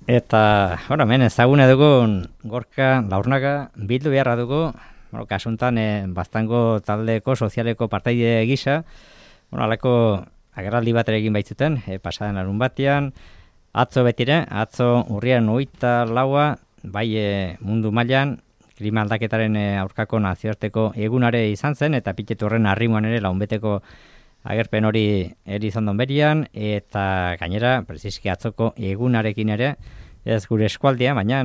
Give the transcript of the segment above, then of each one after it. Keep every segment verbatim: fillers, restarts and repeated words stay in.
Eta, bueno, hemen ezagune dugun Gorka Laurnaga bildu beharra dugu, bueno, kasuntan eh, Baztango taldeko sozialeko partaide gisa, bueno, alako agerraldi bat ere egin baitzuten, eh, pasaden larun batean, atzo betire, atzo urrian hogeita laua, bai eh, mundu mailan klima aldaketaren eh, aurkako nazioarteko egunare izan zen, eta piketu horren arrimoan ere launbeteko agerpen hori eri izan donberian, eta gainera, preziski atzoko egunarekin ere, ez gure eskualdia, baina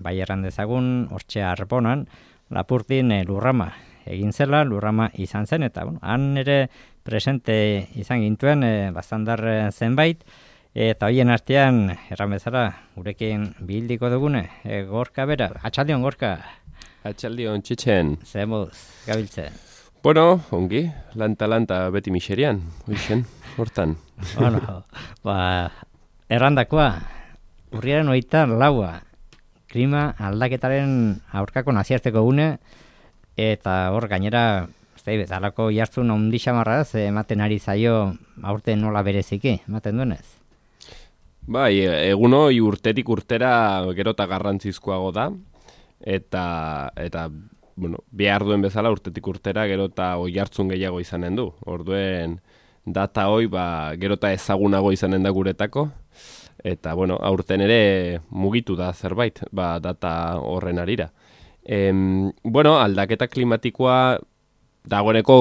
bai erran dezagun, hortxe Arbonan, Lapurtin eh, lurrama egin zela, lurrama izan zen, eta bueno, han ere presente izan gintuen, eh, bastandar zenbait, eta hoien artean, erran bezala, gurekin bildiko dugune, eh, Gorka bera, atxaldion Gorka. Atxaldion txitxen. Zemuz, gabiltzen. Bueno, ongi, lanta-lanta beti miserian, hoixen, hortan. Bueno, ba, errandakoa, urriaren hogeita laua, klima aldaketaren aurkako nazioarteko gune, eta hor gainera, ez bezalako jartzun ondi xamarraz, ematen ari zaio aurten nola bereziki, ematen duenez? Bai, egun hori urtetik urtera gerota garrantzizkoago da, eta, eta bueno, behar duen bezala urtetik urtera gerota oihartzun gehiago izanen du. Orduen data hoi ba, gerota ezagunago izanen da guretako, eta bueno, aurten ere mugitu da zerbait, ba, data horren arira. Em, bueno, aldaketa klimatikoa dagoeneko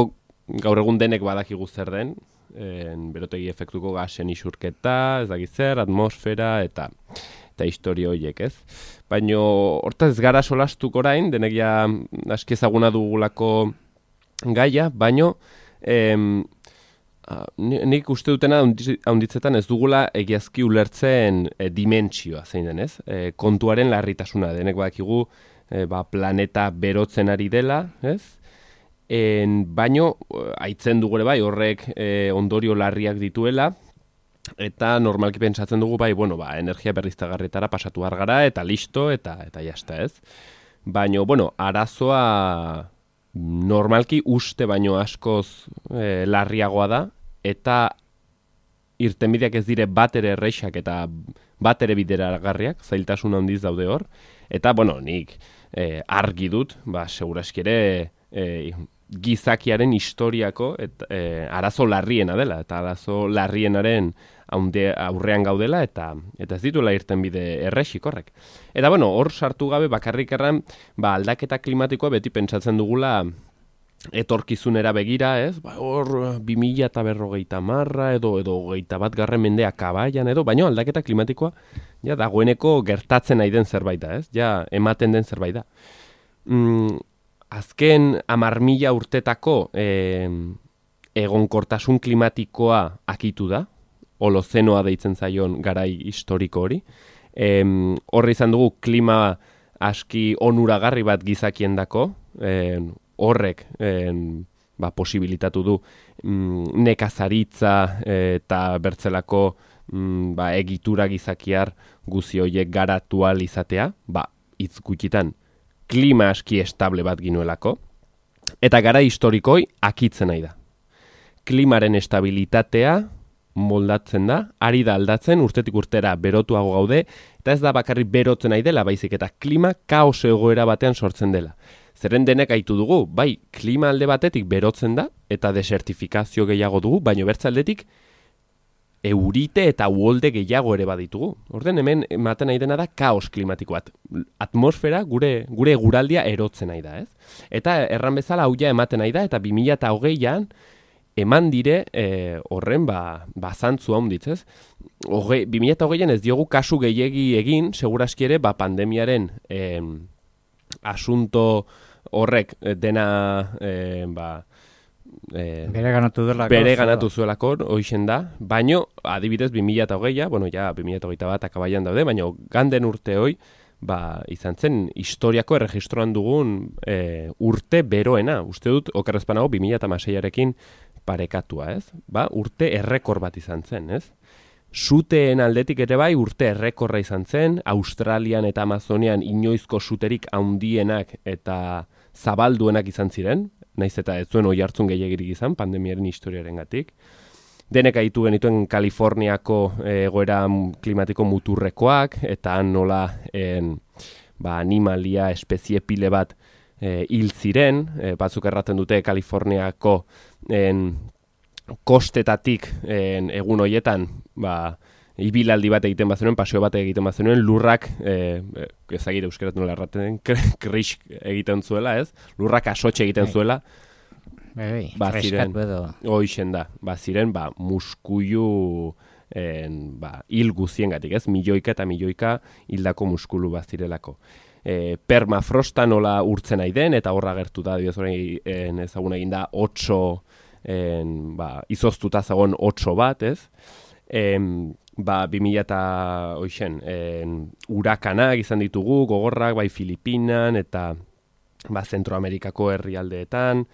gaur egun denek badakigu zer den, en, berotegi efektuko gasen isurketa, ez dakit zer, atmosfera, eta eta historia horiek, ez? Baina hortaz ez gara solastuk orain, denek ja aski ezaguna dugulako gaia, baina em, nik uste dutena haunditzetan ez dugula egiazki ulertzen e, dimentsioa, zein den, ez? E, kontuaren larritasuna, denek badakigu e, ba, planeta berotzen ari dela, ez? En, baino, aitzen dugu ere bai, horrek e, ondorio larriak dituela, eta normalki pentsatzen dugu bai, bueno, ba, energia berriztagarrietara pasatu gara eta listo, eta eta jasta, ez? Baina, bueno, arazoa normalki uste baino askoz e, larriagoa da, eta irtenbideak ez dire bat ere erreixak eta bat ere bideragarriak, zailtasun handiz daude hor, eta, bueno, nik e, argi dut, ba, seguraski ere e, gizakiaren historiako et, e, arazo larriena dela, eta arazo larrienaren haunde, aurrean gaudela, eta eta ez dituela irtenbide errexik horrek. Eta bueno, hor sartu gabe bakarrik erran, ba, aldaketa klimatikoa beti pentsatzen dugula etorkizunera begira, ez? Ba, hor bi mila eta berrogeita marra edo edo hogeita bat garren mendea kabaian edo, baina aldaketa klimatikoa ja dagoeneko gertatzen nahi den zerbait da, ez? Ja ematen den zerbait da. Mm, azken hamar mila urtetako eh, egonkortasun klimatikoa akitu da, holozenoa deitzen zaion garai historiko hori. Em, horri izan dugu klima aski onuragarri bat gizakiendako, em, horrek em, ba, posibilitatu du mm, nekazaritza eta bertzelako mm, ba, egitura gizakiar guzi horiek garatu ahal izatea, ba, hitz gutxitan klima aski estable bat ginuelako, eta gara historikoi akitzen nahi da. Klimaren estabilitatea moldatzen da, ari da aldatzen, urtetik urtera berotuago gaude, eta ez da bakarrik berotzen nahi dela, baizik eta klima kaos egoera batean sortzen dela. Zeren denek aitu dugu, bai, klima alde batetik berotzen da, eta desertifikazio gehiago dugu, baino bertzaldetik eurite eta uholde gehiago ere baditugu. Orden hemen ematen nahi dena da kaos klimatiko bat. Atmosfera gure gure eguraldia erotzen nahi da, ez? Eta erran bezala hau ja ematen nahi da, eta bi mila hogeian eman dire e, horren ba, ba zantzu handitz, ez? Hoge, bi mila hogeian ez diogu kasu gehiegi egin, seguraski ere ba, pandemiaren e, asunto horrek dena e, ba, E, bere ganatu delako. Bere ganatu zuelako, hoixen da, baino, adibidez, bi mila hogeia, bueno, ja, bi mila hogeita bat akabaian daude, baino, ganden urte hoi, ba, izan zen, historiako erregistroan dugun e, urte beroena, uste dut, okerrezpanago, bi mila hamaseiarekin parekatua, ez? Ba, urte errekor bat izan zen, ez? Suteen aldetik ere bai, urte errekorra izan zen, Australian eta Amazonian inoizko suterik handienak eta zabalduenak izan ziren, naiz eta ez zuen oi hartzun gehiagirik izan, pandemiaren historiarengatik. denek aitu genituen Kaliforniako egoera klimatiko muturrekoak, eta han nola en, ba, animalia espezie pile bat e, hil ziren, e, batzuk erraten dute Kaliforniako en, kostetatik en, egun hoietan, ba, ibilaldi bat egiten bazenuen, paseo bat egiten bazenuen, lurrak, e, ezagire euskerat nola erraten, kris egiten zuela, ez? Lurrak asotxe egiten zuela, Bai, ba, ziren, edo. Hoixen da, ba, ziren, ba, muskuilu en, ba, hil guziengatik, ez? Milioika eta milioika hildako muskulu bat zirelako. E, permafrosta nola urtzen nahi den, eta horra gertu da, dioz horrein ezagun egin da, otso, en, ba, izoztuta zagon otso bat, ez? En, ba, bi mila eta hoixen, urakanak izan ditugu, gogorrak, bai Filipinan, eta ba, Zentroamerikako herrialdeetan,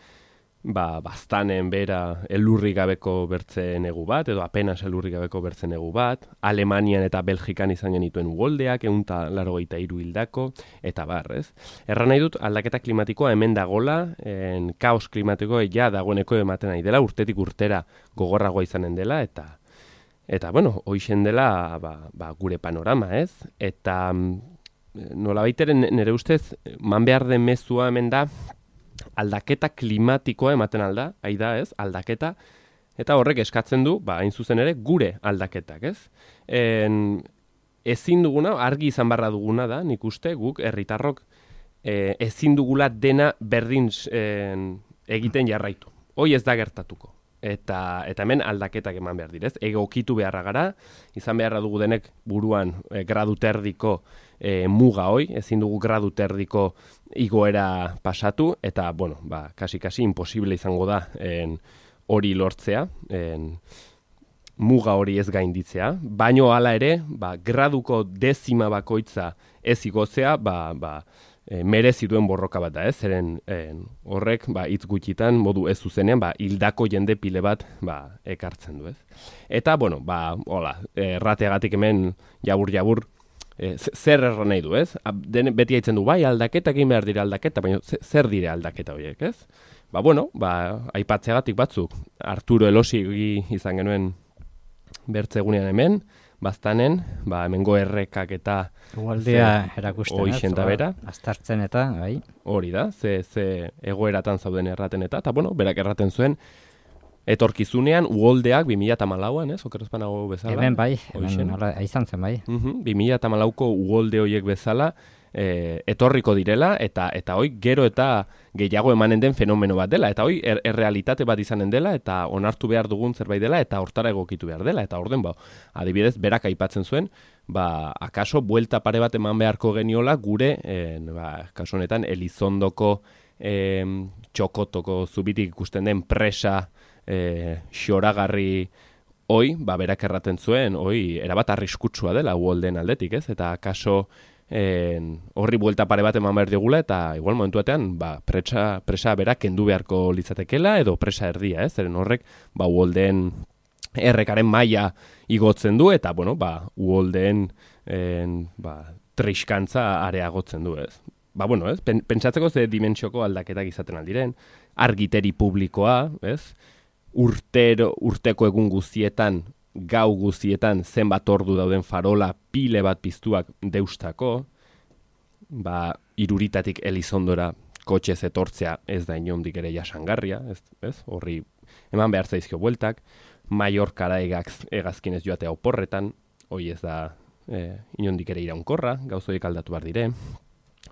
ba, baztanen bera elurri gabeko bertze negu bat, edo apenas elurri gabeko bertze negu bat, Alemanian eta Belgikan izan genituen uholdeak, ehun eta laurogeita hiru hildako, eta bar, ez? Erran nahi dut, aldaketa klimatikoa hemen dagola, en, kaos klimatikoa ja dagoeneko ematen nahi dela, urtetik urtera gogorragoa izanen dela, eta eta, bueno, hoixen dela ba, ba, gure panorama, ez? Eta nola baiteren nire ustez, man behar den mezua hemen da, aldaketa klimatikoa ematen alda, aida ez, aldaketa, eta horrek eskatzen du, ba, hain zuzen ere, gure aldaketak, ez? En, ezin duguna, argi izan barra duguna da, nik uste, guk, herritarrok, e, ezin dugula dena berdin en, egiten jarraitu. Hoi ez da gertatuko. Eta, eta hemen aldaketak eman behar direz. Egokitu beharra gara, izan beharra dugu denek buruan e, gradu terdiko e, muga hoi, ezin dugu gradu terdiko igoera pasatu, eta, bueno, ba, kasi-kasi imposible izango da en, hori lortzea, en, muga hori ez gainditzea, baino hala ere, ba, graduko dezima bakoitza ez igotzea, ba, ba, E, merezi duen borroka bat da, ez? Zeren en, horrek, ba, hitz gutxitan, modu ez zuzenean, ba, hildako jende pile bat, ba, ekartzen du, ez? Eta, bueno, ba, hola, errateagatik hemen jabur-jabur, e, zer erran nahi du, ez? Den, beti haitzen du, bai, aldaketak egin behar dira aldaketa, baina zer dire aldaketa horiek, ez? Ba, bueno, ba, aipatzeagatik batzuk, Arturo Elosi izan genuen bertzegunean hemen, baztanen, ba, hemengo errekak eta uholdea erakusten, hoixen da bera. Aztartzen eta, bai. Hori da, ze, ze egoeratan zauden erraten eta, eta bueno, berak erraten zuen, etorkizunean uholdeak bi mila hamalauan, ez, okerrezpanago bezala. Hemen bai, hemen nola, izan zen bai. Uh-huh, bi mila hamalauko uholde horiek bezala, e, etorriko direla, eta eta hoi gero eta gehiago emanen den fenomeno bat dela, eta hoi er, errealitate bat izanen dela, eta onartu behar dugun zerbait dela, eta hortara egokitu behar dela, eta orden, ba, adibidez, berak aipatzen zuen, ba, akaso, buelta pare bat eman beharko geniola, gure, en, ba, kaso honetan, Elizondoko, em, txokotoko zubitik ikusten den presa, e, xoragarri, hoi, ba, berak erraten zuen, hoi, erabat arriskutsua dela uholden aldetik, ez? Eta akaso, en, horri buelta pare bat eman behar digula, eta igual momentu batean, ba, presa, presa berak kendu beharko litzatekela, edo presa erdia, ez? Zeren horrek, ba, uholden errekaren maila igotzen du, eta, bueno, ba, uholdeen, en, ba, triskantza areagotzen du, ez? Ba, bueno, ez? Pentsatzeko ze dimentsioko aldaketak izaten aldiren, argiteri publikoa, ez? Urtero, urteko egun guztietan, gau guztietan zenbat ordu dauden farola pile bat piztuak deustako, ba, iruritatik Elizondora kotxez etortzea ez da inondik ere jasangarria, ez, ez? Horri eman behar zaizkio bueltak, Mallorcara egaz, egazkinez joatea oporretan, hoi ez da e, inondik ere iraunkorra, gauzoik aldatu behar dire,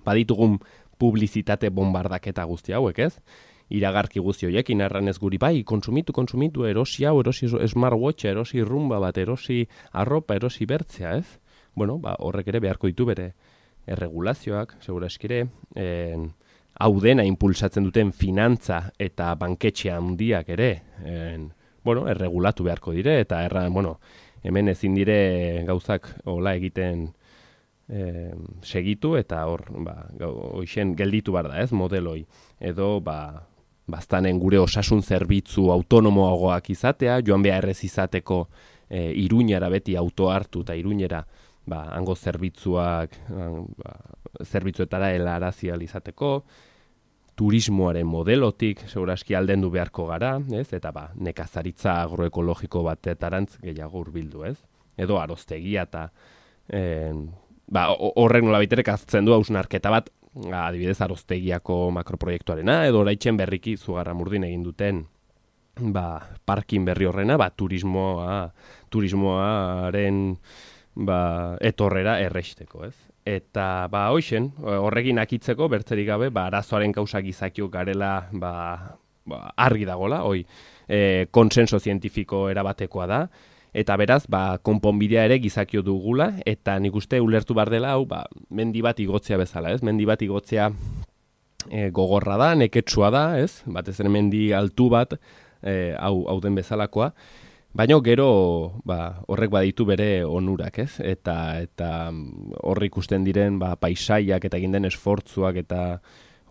baditugun publizitate bombardaketa guzti hauek, ez? Iragarki guzti horiekin erran ez guri, bai, konsumitu, konsumitu, erosi hau, erosi smartwatcha, erosi rumba bat, erosi arropa, erosi bertzea, ez? Bueno, ba, horrek ere beharko ditu bere erregulazioak, segura eskire, en, hau dena impulsatzen duten finantza eta banketxe handiak ere, en, bueno, erregulatu beharko dire, eta erran, bueno, hemen ezin dire gauzak hola egiten e, segitu, eta hor, ba, hoixen gelditu bar da, ez, modeloi, edo, ba, baztanen gure osasun zerbitzu autonomoagoak izatea, joan behar ez izateko e, Iruñara beti auto hartu eta Iruñera ba, hango zerbitzuak ba, zerbitzuetara helarazi ahal izateko, turismoaren modelotik, segurazki aldendu beharko gara, ez? Eta ba, nekazaritza agroekologiko batetarantz gehiago hurbildu, ez? Edo aroztegia eta e, ba, horrek nola biterek aztzen du hausnarketa bat, adibidez aroztegiako makroproiektuarena, edo oraitzen berriki Zugarramurdin egin duten ba, parkin berri horrena, ba, turismoa, turismoaren ba, etorrera erresteko, ez? Eta ba, hoixen, horrekin akitzeko, bertzerik gabe, ba, arazoaren kausa gizakiok garela ba, ba, argi dagola, hoi, e, konsenso zientifiko erabatekoa da, eta beraz, ba, konponbidea ere gizakio dugula, eta nik uste ulertu bar dela, hau, ba, mendi bat igotzea bezala, ez? Mendi bat igotzea e, gogorra da, neketsua da, ez? Batez ere mendi altu bat, e, hau, hau den bezalakoa, baina gero ba, horrek baditu bere onurak, ez? Eta, eta horri ikusten diren ba, paisaiak eta egin den esfortzuak eta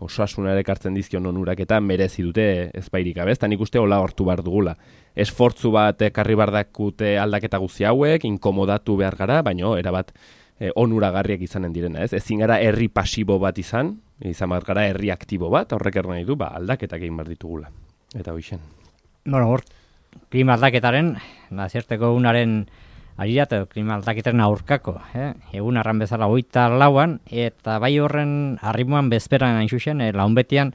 osasunare ekartzen dizkion onurak eta merezi dute ezbairik gabe, eta nik uste hola hortu behar dugula. Esfortzu bat ekarri bardakute aldaketa guzti hauek, inkomodatu behar gara, baina erabat e, onuragarriak izanen direna, ez? Ezin gara herri pasibo bat izan, izan bat gara herri aktibo bat, horrek erran nahi du, ba, aldaketak egin behar ditugula. Eta hoixen. Bueno, hor, klima aldaketaren, nazierteko unaren arirat, klima aldaketaren aurkako, eh? Egun arran bezala hogeita lauan, eta bai horren arrimoan bezperan hain zuzen, eh, launbetian,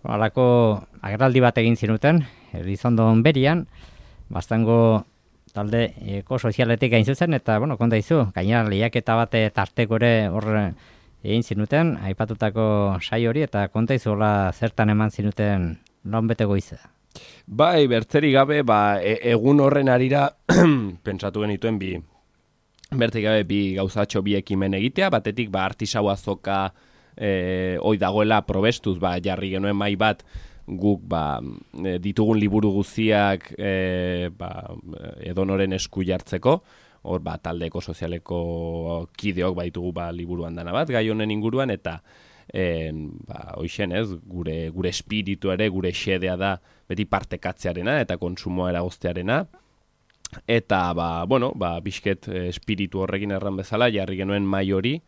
halako agerraldi bat egin zinuten, Elizondon berian, bastango talde ekosozialetik gain zuzen, eta, bueno, konta izu, gainera lehiaketa bat tarteko ere hor egin zinuten, aipatutako sai hori, eta konta izu hola zertan eman zinuten launbete goiza. Bai, bertzeri gabe, ba, e egun horren arira, pentsatu genituen bi, bertzeri gabe bi gauzatxo bi ekimen egitea, batetik, ba, artisau azoka e, oi dagoela probestuz, ba, jarri genuen mai bat, guk, ba, e, ditugun liburu guztiak, e, ba, edonoren esku jartzeko, hor, ba, taldeko sozialeko kideok baitugu, ba, liburuan dana bat, gai honen inguruan, eta, En, ba, hoixen ez, gure, gure espiritu ere, gure xedea da beti partekatzearena eta konsumoa eragoztearena. Eta, ba, bueno, ba, bizket espiritu horrekin erran bezala, jarri genuen mai hori,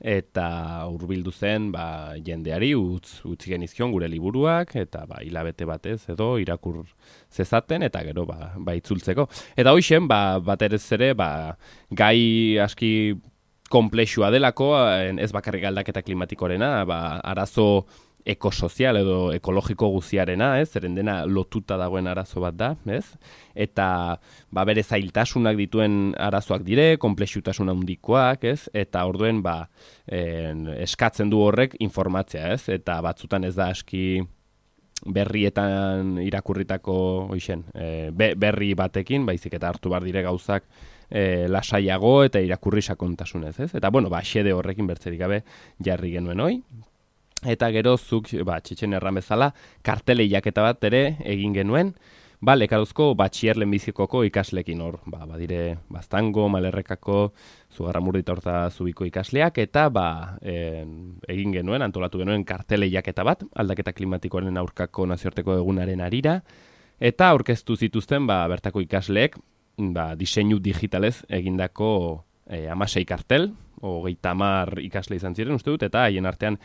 eta hurbildu zen ba, jendeari utz, utzi genizkion gure liburuak, eta ba, hilabete batez edo irakur zezaten, eta gero ba, ba itzultzeko. Eta hoixen, ba, bat erez ere, ba, gai aski komplexua delako, ez bakarrik aldaketa klimatikorena, ba, arazo ekosozial edo ekologiko guziarena, ez, zeren dena lotuta dagoen arazo bat da, ez, eta ba, bere zailtasunak dituen arazoak dire, komplexutasun handikoak, ez, eta orduen ba, en, eskatzen du horrek informatzea, ez, eta batzutan ez da aski berrietan irakurritako hoixen, e, be, berri batekin, baizik eta hartu bar dire gauzak E, lasaiago eta irakurri sakontasunez, ez? Eta, bueno, ba, xede horrekin bertzerik gabe jarri genuen hoi. Eta gero zuk, ba, txetxen erran bezala, kartele jaketa bat ere egin genuen, ba, Lekarozko batxier lehenbizikoko ikaslekin hor, ba, badire Baztango, Malerrekako, Zugarramurdi eta Horta Zubiko ikasleak, eta, ba, e, egin genuen, antolatu genuen kartele jaketa bat, aldaketa klimatikoaren aurkako nazioarteko egunaren arira, eta aurkeztu zituzten, ba, bertako ikasleek, ba, diseinu digitalez egindako e, amasei kartel, hogeita hamar ikasle izan ziren uste dut, eta haien artean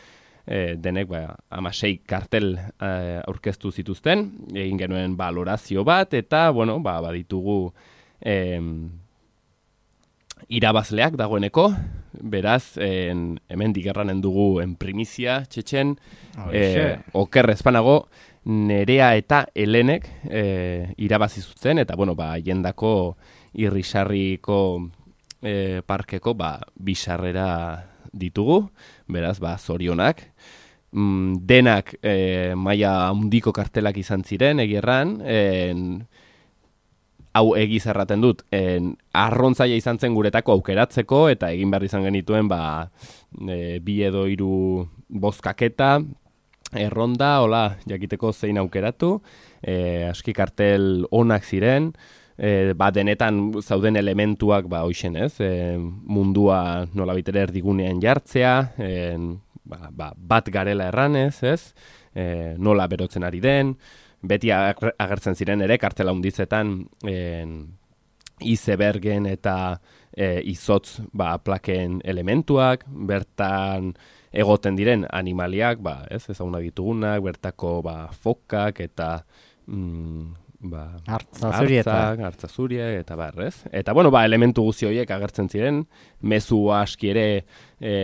e, denek ba, amasei kartel e, aurkeztu zituzten, egin genuen balorazio bat, eta, bueno, ba, baditugu e, irabazleak dagoeneko, beraz, en, hemen digerranen dugu en primizia, txetxen, e, oker ezpanago, Nerea eta Helenek e, irabazi zuten, eta, bueno, ba, jendako irrisarriko e, parkeko, ba, bisarrera ditugu, beraz, ba, zorionak. Mm, denak e, maila handiko kartelak izan ziren, egierran, en, hau egiz erraten dut, en, arrontzaia izan zen guretako aukeratzeko, eta egin behar izan genituen, ba, e, bi edo hiru bozkaketa, erronda, hola, jakiteko zein aukeratu, e, aski kartel onak ziren, e, ba, denetan zauden elementuak, ba, hoixen ez, e, mundua nola bitere erdigunean jartzea, e, ba, ba, bat garela erranez, ez, e, nola berotzen ari den, beti agertzen ziren ere, kartela hundizetan, e, izebergen eta e, izotz ba, plaken elementuak, bertan egoten diren animaliak, ba, ez, ezaguna ditugunak, bertako ba, fokak eta mm, ba, hartzazuriak, hartzazuriak eta bar, ez? Eta, bueno, ba, elementu guzti horiek agertzen ziren, mezu aski ere e,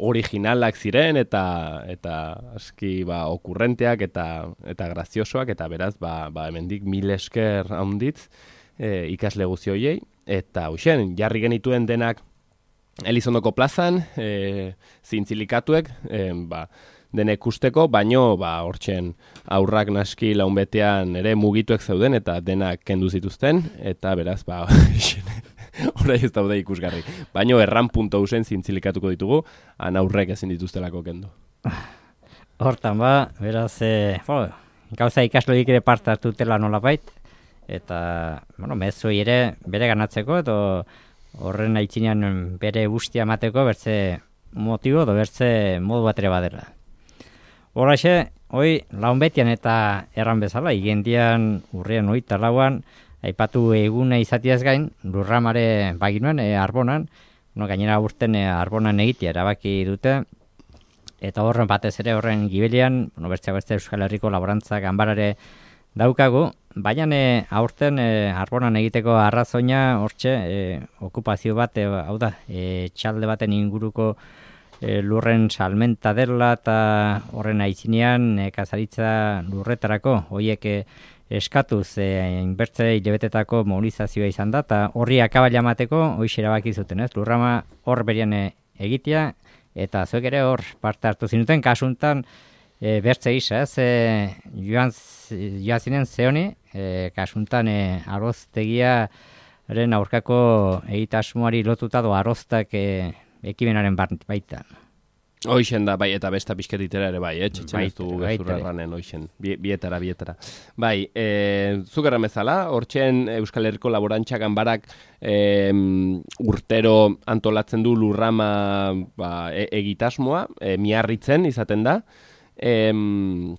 originalak ziren eta eta aski ba, okurrenteak eta eta graziosoak, eta beraz, ba, ba, hemendik mil esker handitz e, ikasle guzti horiei, eta hoxen, jarri genituen denak Elizondoko plazan, e, zintzilikatuek, e, ba, denek usteko, baino, ba, hortzen aurrak naski launbetean ere mugituek zeuden, eta denak kendu zituzten, eta beraz, ba, orai ez daude ikusgarri. Baino, erran punto usen zintzilikatuko ditugu, han aurrek ezin dituztelako kendu. Hortan, ba, beraz, e, bo, gauza ikasloik ere parte hartutela nolabait, eta, bueno, mezoi ere bere ganatzeko, edo horren aitzinean bere guztia emateko bertze motibo edo bertze modu bat ere badela. Horraxe, hoi launbetian eta erran bezala, igendian urrian hogeita lauan, aipatu eguna izatiaz gain, lurramare baginuen, e, arbonan, no, gainera urten e, arbonan egitea erabaki dute, eta horren batez ere horren gibelian, bueno, bertzea bertze Euskal Herriko laborantza ganbarare daukagu, baina e, aurten e, arbonan egiteko arrazoina hortxe e, okupazio bat, e, hau da, e, txalde baten inguruko e, lurren salmenta dela eta horren aitzinean e, kazaritza lurretarako horiek e, eskatuz e, inbertze hilebetetako mobilizazioa izan da, eta horri akabala emateko hoiz erabaki zuten, ez? Lurrama hor berian e, egitea, eta zuek ere hor parte hartu zinuten, kasuntan E, bertze gisa, ez, e, joan, joan zinen zehoni, e, kasuntan e, aroztegiaren aurkako egitasmoari lotuta do aroztak e, ekimenaren baitan. Hoixen da, bai, eta besta pixketitera ere bai, eh? Txetxen ez du gezurra erranen, hoixen, bietara, bietara. Bai, e, zukerra mezala, hortxen Euskal Herriko Laborantza Ganbarak e, urtero antolatzen du lurrama ba, e, egitasmoa, e, miarritzen izaten da, Em,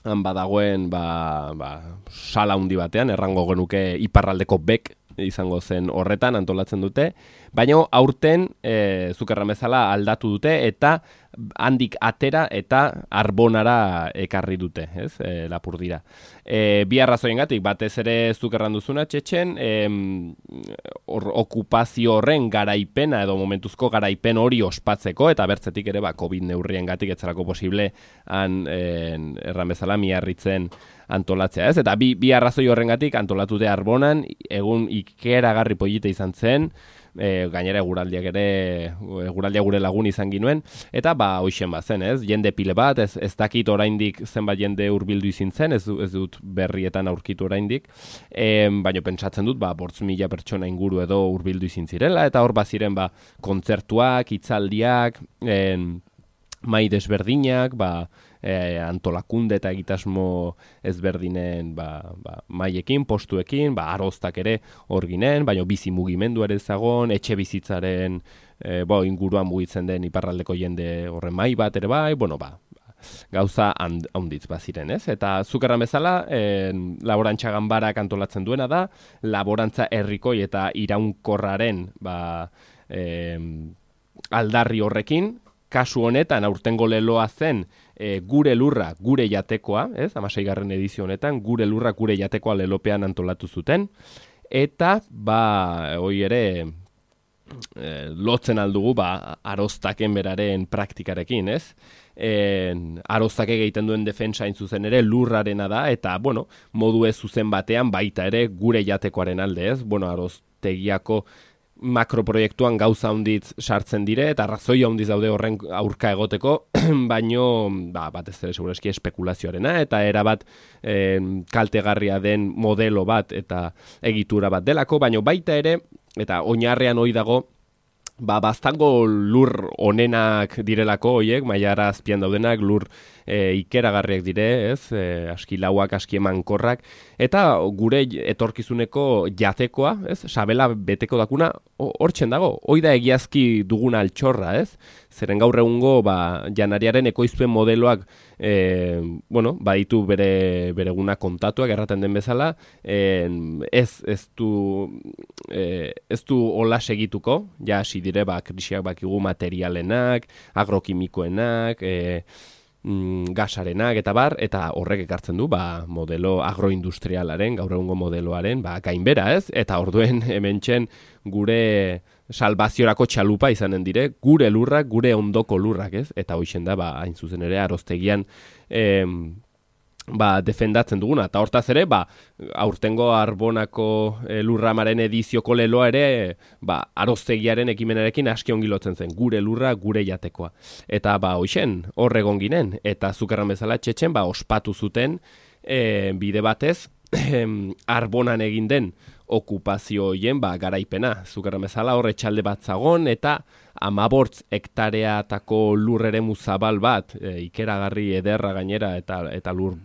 han badagoen ba, ba, sala handi batean, errango genuke iparraldeko bek izango zen horretan antolatzen dute, baina aurten e, zukerra bezala aldatu dute eta handik atera eta arbonara ekarri dute, ez, e, lapurdira. E, bi arrazoiengatik, batez ere zukerran duzuna txetxen, e, or, okupazio horren garaipena edo momentuzko garaipen hori ospatzeko, eta bertzetik ere ba, COVID neurriengatik etzarako posible han e, erran bezala miarritzen antolatzea, ez? Eta bi, bi arrazoi horrengatik antolatute arbonan, egun ikeragarri polite izan zen, e, gainera eguraldiak ere, eguraldia gure lagun izan ginuen, eta ba, hoixen bazen, ez? Jende pile bat, ez, ez dakit oraindik zenbat jende hurbildu izin zen, ez, ez dut berrietan aurkitu oraindik, e, baina pentsatzen dut, ba, bortz mila pertsona inguru edo hurbildu izin zirela, eta hor baziren, ba, kontzertuak, hitzaldiak, en, mai desberdinak, ba, E, antolakunde eta egitasmo ezberdinen ba, ba, maiekin, postuekin, ba, aroztak ere hor ginen, baina bizi mugimendu ere zagon, etxe bizitzaren e, bo, inguruan mugitzen den iparraldeko jende horren mai bat ere bai, bueno, ba, gauza handitz baziren, ez? Eta zukerran bezala, e, laborantza ganbarak antolatzen duena da, laborantza herrikoi eta iraunkorraren ba, e, aldarri horrekin, kasu honetan aurtengo leloa zen e, gure lurra, gure jatekoa, ez? hamaseigarren edizio honetan, gure lurra, gure jatekoa lelopean antolatu zuten, eta, ba, hoi ere, e, lotzen aldugu, ba, aroztaken beraren praktikarekin, ez? E, aroztak egiten duen defensa hain zuzen ere lurrarena da, eta, bueno, modu ez zuzen batean baita ere gure jatekoaren alde, ez? Bueno, aroztegiako makroproiektuan gauza handitz sartzen dire, eta arrazoi handiz daude horren aurka egoteko, baino, ba, batez ere segurazki espekulazioarena, eta erabat e, kaltegarria den modelo bat eta egitura bat delako, baino baita ere, eta oinarrean hoi dago, ba, baztango lur onenak direlako hoiek, mailara azpian daudenak, lur e, ikeragarriak dire, ez, e, aski lauak, aski emankorrak, eta gure etorkizuneko jatekoa, ez, sabela beteko dakuna, hortzen dago, hoi da egiazki duguna altxorra, ez, zeren gaur egungo, ba, janariaren ekoizpen modeloak e, bueno, baditu bere bereguna kontatuak erraten den bezala, e, ez ez du e, ez du hola segituko, ja hasi dire ba krisiak bakigu materialenak, agrokimikoenak, e, mm, gasarenak eta bar, eta horrek ekartzen du ba modelo agroindustrialaren, gaur egungo modeloaren, ba gainbera, ez? Eta orduen hementxen gure salvaziorako txalupa izanen dire, gure lurrak, gure ondoko lurrak, ez? Eta hoixen da, ba, hain zuzen ere, aroztegian em, ba, defendatzen duguna. Eta hortaz ere, ba, aurtengo Arbonako e, lurramaren edizioko leloa ere, ba, aroztegiaren ekimenarekin aski ongi lotzen zen, gure lurra, gure jatekoa. Eta, ba, hoixen, horregon ginen, eta zukerran bezala txetxen, ba, ospatu zuten e, bide batez, Arbonan egin den okupazio hoien ba, garaipena. Zukerran bezala horre txalde bat zagon eta amabortz hektareatako lurreremu zabal bat, e, ikeragarri ederra gainera eta, eta lur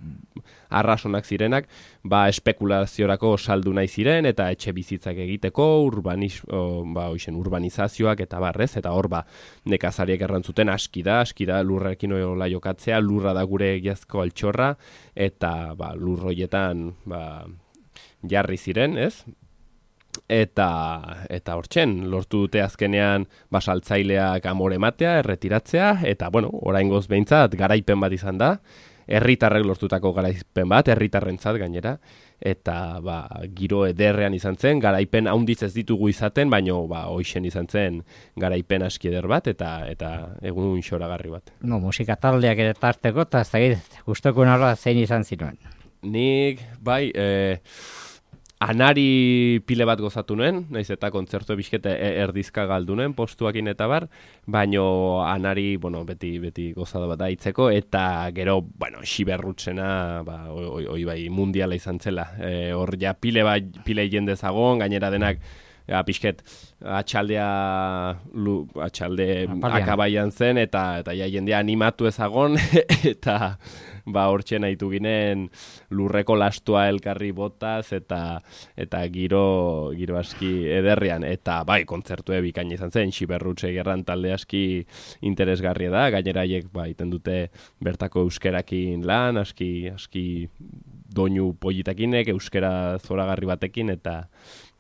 arrasonak zirenak, ba, espekulaziorako saldu nahi ziren eta etxe bizitzak egiteko, urbaniz, o, ba, oixen, urbanizazioak eta barrez, eta hor ba, nekazariek errantzuten aski da, aski da lurrekin hola jokatzea, lurra da gure egiazko altxorra, eta ba, lurroietan ba, jarri ziren, ez? Eta eta hortzen lortu dute azkenean basaltzaileak amore ematea, erretiratzea, eta bueno, oraingoz behintzat garaipen bat izan da, herritarrek lortutako garaipen bat, herritarrentzat gainera, eta ba, giro ederrean izan zen, garaipen haundiz ez ditugu izaten, baino ba, hoixen izan zen garaipen aski eder bat, eta eta egun xoragarri bat. No, musika taldeak ere tarteko, eta ez dakit, gustoko nola zein izan zinuen? Nik, bai, eh, anari pile bat gozatu nuen, naiz eta kontzertu bizkete erdizka galdunen postuakin eta bar, baino anari, bueno, beti beti gozada bat daitzeko, eta gero, bueno, xiberrutzena, ba, oi, oi bai, mundiala izan zela. E, hor ja pile bat, pile jende zagon, gainera denak, ja, pixket, atxaldea, lu, atxalde akabaian zen, eta, eta ja, jendea animatu ezagon, eta ba hortxe nahitu ginen lurreko lastua elkarri botaz eta eta giro giro aski ederrian, eta bai kontzertue bikaina izan zen, Xiberrutxe gerran talde aski interesgarria da, gainera haiek ba iten dute bertako euskerakin lan, aski aski doinu politakinek, euskera zoragarri batekin eta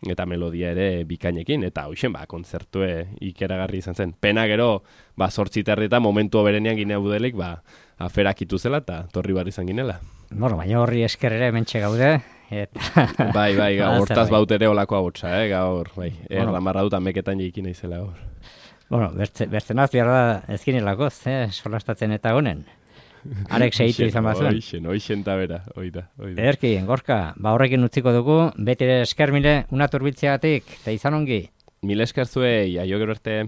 eta melodia ere bikainekin, eta hoxen ba kontzertue ikeragarri izan zen. Pena gero ba zortzi terreta momentu berenean ginea budelik ba aferakitu zela eta torri bar izan ginela. Bueno, baina horri esker ere hementxe gaude. Eta... bai, bai, gaur, hortaz baut ere olako abotsa, eh, gaur, bai, bueno, erramarra dut ameketan jeikin naizela gaur. Bueno, bertzenaz behar da ezkinelakoz, eh, solastatzen eta honen. Arek segitu izan bazuen. Oixen, oixen eta bera, oida, oida. Ederki, Gorka, ba horrekin utziko dugu, beti ere esker mile, una turbiltzeagatik, eta izan ongi. Mil esker zuei, aio gero arte.